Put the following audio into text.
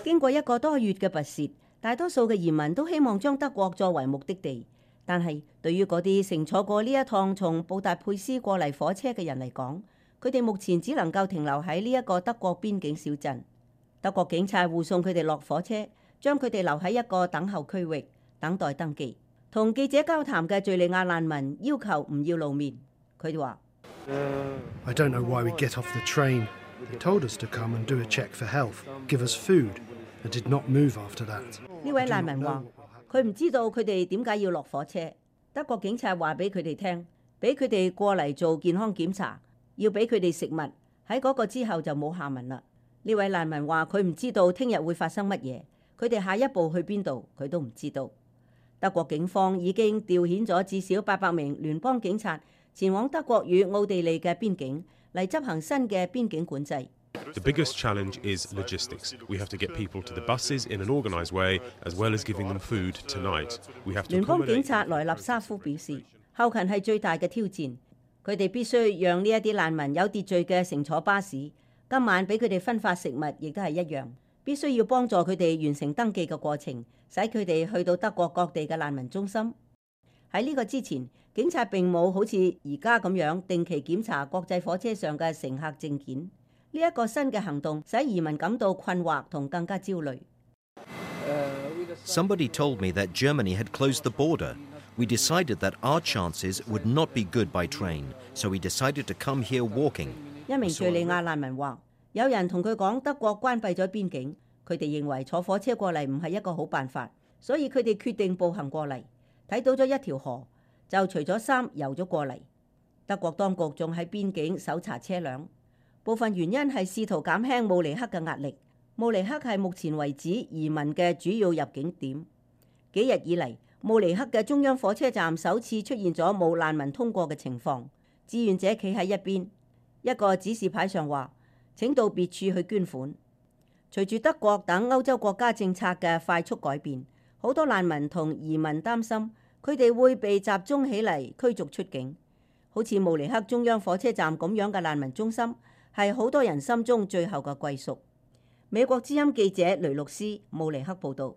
經過一個多月嘅跋涉，大多數嘅移民都希望將德國作為目的地。但係對於嗰啲乘坐過呢一趟從布達佩斯過嚟火車嘅人嚟講，佢哋目前只能夠停留喺呢一個德國邊境小鎮。德國警察護送佢哋落火車，將佢哋留喺一個等候區域，等待登記。同記者交談嘅敘利亞難民要求唔要露面。佢哋話：I don't know why we get off the train. They told us to come and do a check for health, give us food, and did not move after that. 呢位難民話：佢唔知道佢哋點解要落火車。德國警察話俾佢哋聽，俾佢哋過嚟做健康檢查，要俾佢哋食物。喺嗰個之後就冇下文啦。呢位難民話：佢唔知道聽日會發生乜嘢，佢哋下一步去邊度，佢都唔知道。德國警方已經調遣咗至少800名聯邦警察前往德國與奧地利嘅邊境嚟執行新嘅邊境管制。The biggest challenge is logistics. We have to get people to the buses in an organised way, as well as giving them food tonight. We have to 聯邦警察萊納沙夫表示，後勤係最大嘅挑戰。佢哋必須讓呢一啲難民有秩序嘅乘坐巴士，今晚俾佢哋分發食物，亦都係一樣。必須要幫助佢哋完成登記嘅過程，使佢哋去到德國各地嘅難民中心。喺呢個之前，警察並冇好似而家咁樣定期檢查國際火車上嘅乘客證件。呢一個新嘅行動使移民感到困惑同更加焦慮。Somebody told me that Germany had closed the border. We decided that our chances would not be good by train, so we decided to come here walking. 一名敘利亞難民話：有人同佢講德國關閉咗邊境，佢哋認為坐火車過嚟唔係一個好辦法，所以佢哋決定步行過嚟。睇到咗一條河，就除咗衫游咗過嚟。德國當局仲喺邊境搜查車輛，部分原因係試圖減輕慕尼黑嘅壓力。慕尼黑係目前為止移民嘅主要入境點。幾日以嚟，慕尼黑嘅中央火車站首次出現咗冇難民通過嘅情況。志願者企喺一邊，一個指示牌上話：請到別處去捐款。隨住德國等歐洲國家政策嘅快速改變，好多難民同移民擔心佢哋會被集中起嚟驅逐出境。好似慕尼黑中央火車站咁樣嘅難民中心，係好多人心中最後嘅歸宿。美國之音記者雷洛斯，慕尼黑報導。